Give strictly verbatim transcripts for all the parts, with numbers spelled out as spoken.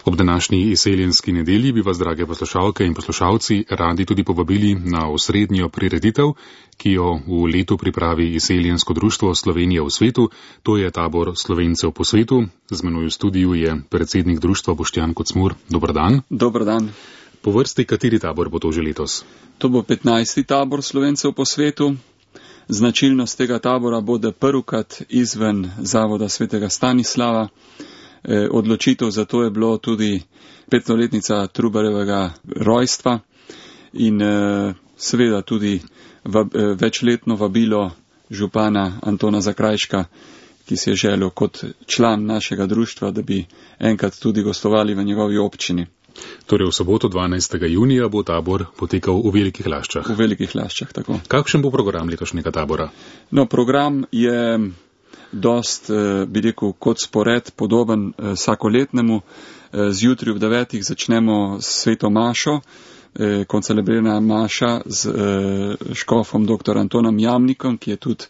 Ob današnji izseljenski nedelji bi vas, drage poslušalke in poslušalci, radi tudi povabili na osrednjo prireditev, ki jo v letu pripravi Izseljensko društvo Slovenije v svetu, to je tabor Slovencev po svetu. Z menoj v studiu je predsednik društva Boštjan Kocmur. Dober dan. Dober dan. Po vrsti, kateri tabor bo to že letos? To bo petnajsti tabor Slovencev po svetu. Značilnost tega tabora bo, da prvikrat izven zavoda svetega Stanislava. E, odločitev za to je bilo tudi petstoletnica Trubarjevega rojstva in e, seveda tudi vab, e, večletno vabilo župana Antona Zakrajška, ki si je želel kot član našega društva, da bi enkrat tudi gostovali v njegovi občini. Torej v soboto dvanajstega junija bo tabor potekal v Velikih Laščah. V Velikih Laščah, tako. Kakšen bo program letošnjega tabora? No, program je dost, bi rekel, kot spored, podoben vsakoletnemu. Zjutraj ob devetih začnemo s sveto mašo, koncelebrirana maša z škofom dr. Antonom Jamnikom, ki je tudi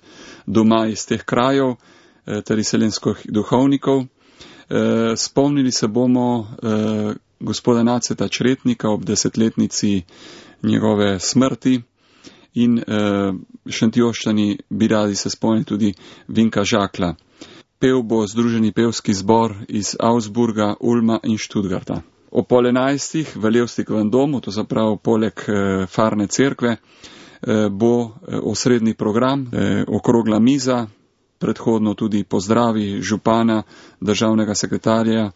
doma iz teh krajev, ter izseljenskih duhovnikov. Spomnili se bomo gospoda Naceta Čretnika ob desetletnici njegove smrti in uh, Šentjoščani bi radi se spomnili tudi Vinka Žakla. Pev bo Združeni pevski zbor iz Augsburga, Ulma in Študgarta. O pol enajstih v Levstikovem domu, to zapravo poleg uh, farne cerkve, uh, bo uh, osrednji program, uh, okrogla miza, predhodno tudi pozdravi župana, državnega sekretarja,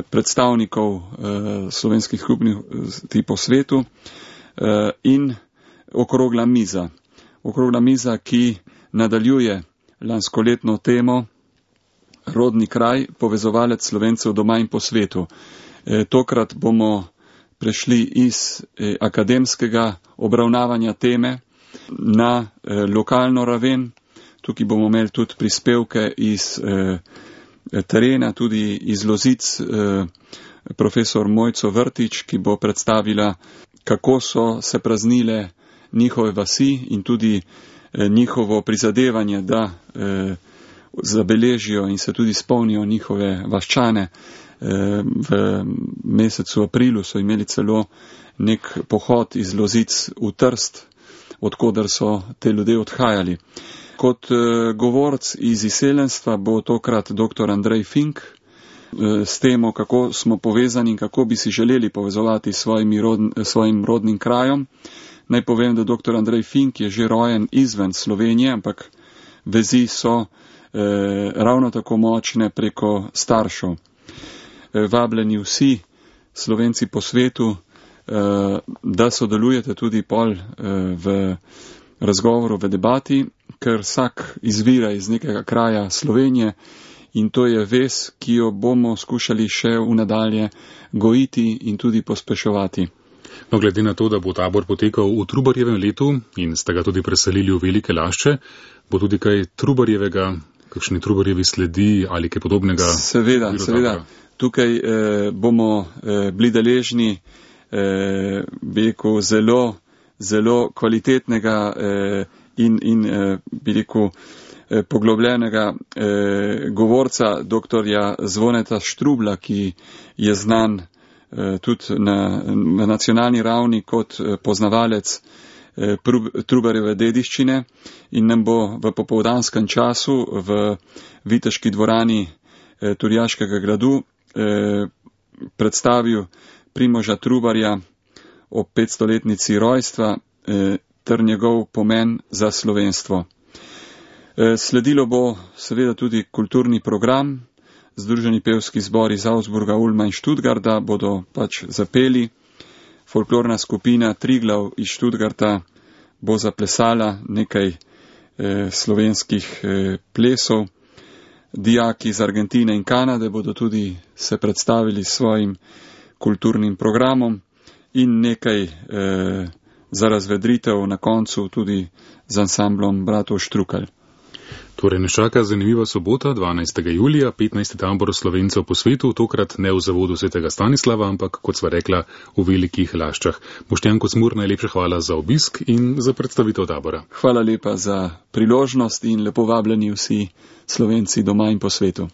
predstavnikov slovenskih skupnosti po svetu in okrogla miza. Okrogla miza, ki nadaljuje lanskoletno temo Rodni kraj, povezovalec Slovencev doma in po svetu. Tokrat bomo prešli iz akademskega obravnavanja teme na lokalno raven. Tukaj bomo imeli tudi prispevke iz terena, tudi iz Lozic, eh, profesor Mojco Vrtič, ki bo predstavila, kako so se praznile njihove vasi in tudi eh, njihovo prizadevanje, da eh, zabeležijo in se tudi spomnijo njihove vaščane. Eh, v mesecu aprilu so imeli celo nek pohod iz Lozic v Trst, odkudar so te ljudje odhajali. Kot uh, govorc iz izseljenstva bo tokrat dr. Andrej Fink uh, s temo, kako smo povezani in kako bi si želeli povezovati s rodn, svojim rodnim krajem. Naj povem, da dr. Andrej Fink je že rojen izven Slovenije, ampak vezi so uh, ravno tako močne preko staršev. Uh, vabljeni vsi Slovenci po svetu, uh, da sodelujete tudi pol uh, v razgovoru, v debati, ker vsak izvira iz nekega kraja Slovenije in to je vez, ki jo bomo skušali še v nadalje gojiti in tudi pospeševati. No, glede na to, da bo tabor potekal v Trubarjevem letu in ste ga tudi preselili v Velike Lašče, bo tudi kaj Trubarjevega, kakšni Trubarjevi sledi ali kaj podobnega? Seveda, seveda. Tukaj eh, bomo eh, bili deležni eh, veliko zelo, zelo kvalitetnega eh, in, in eh, bi rekel, eh, poglobljenega eh, govorca doktorja Zvoneta Štrubla, ki je znan eh, tudi na, na nacionalni ravni kot eh, poznavalec eh, Trubarjeve dediščine in nam bo v popoldanskem času v Viteški dvorani eh, Turjaškega gradu eh, predstavil Primoža Trubarja o petstoletnici rojstva eh, ter njegov pomen za slovenstvo. Sledilo bo seveda tudi kulturni program. Združeni pevski zbor iz Augsburga, Ulma in Študgarta bodo pač zapeli. Folklorna skupina Triglav iz Študgarta bo zaplesala nekaj eh, slovenskih eh, plesov. Dijaki iz Argentine in Kanade bodo tudi se predstavili s svojim kulturnim programom in nekaj eh, za razvedritev na koncu tudi z ansamblom bratov Štrukelj. Torej nas čaka zanimiva sobota, dvanajstega julija, petnajsti tabor Slovencev po svetu, tokrat ne v zavodu svetega Stanislava, ampak, kot sva rekla, v Velikih Laščah. Boštjan Kocmur, najlepša hvala za obisk in za predstavitev tabora. Hvala lepa za priložnost in lepo vabljeni vsi Slovenci doma in po svetu.